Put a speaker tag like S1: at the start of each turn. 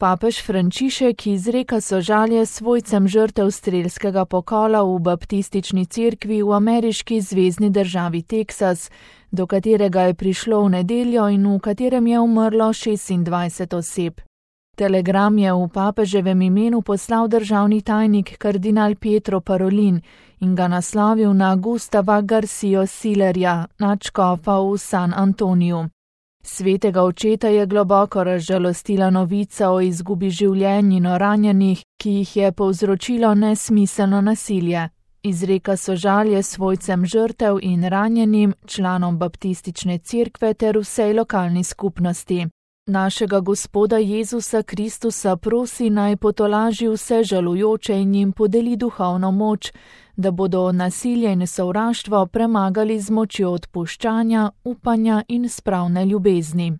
S1: Papež Frančišek izreka sožalje svojcem žrtev strelskega pokola v baptistični cerkvi v ameriški zvezni državi Teksas, do katerega je prišlo v nedeljo in v katerem je umrlo 26 oseb. Telegram je v papeževem imenu poslal državni tajnik kardinal Pietro Parolin in ga naslovil na Gustava Garcio Sillerja, nadškofa v San Antoniju. Svetega očeta je globoko razžalostila novica o izgubi življenj in o ranjenih, ki jih je povzročilo nesmiselno nasilje. Izreka sožalje svojcem žrtev in ranjenim, članom baptistične cerkve ter vsej lokalni skupnosti. Našega Gospoda Jezusa Kristusa prosi, naj potolaži vse žalujoče in jim podeli duhovno moč, da bodo nasilje in sovraštvo premagali z močjo odpuščanja, upanja in spravne ljubezni.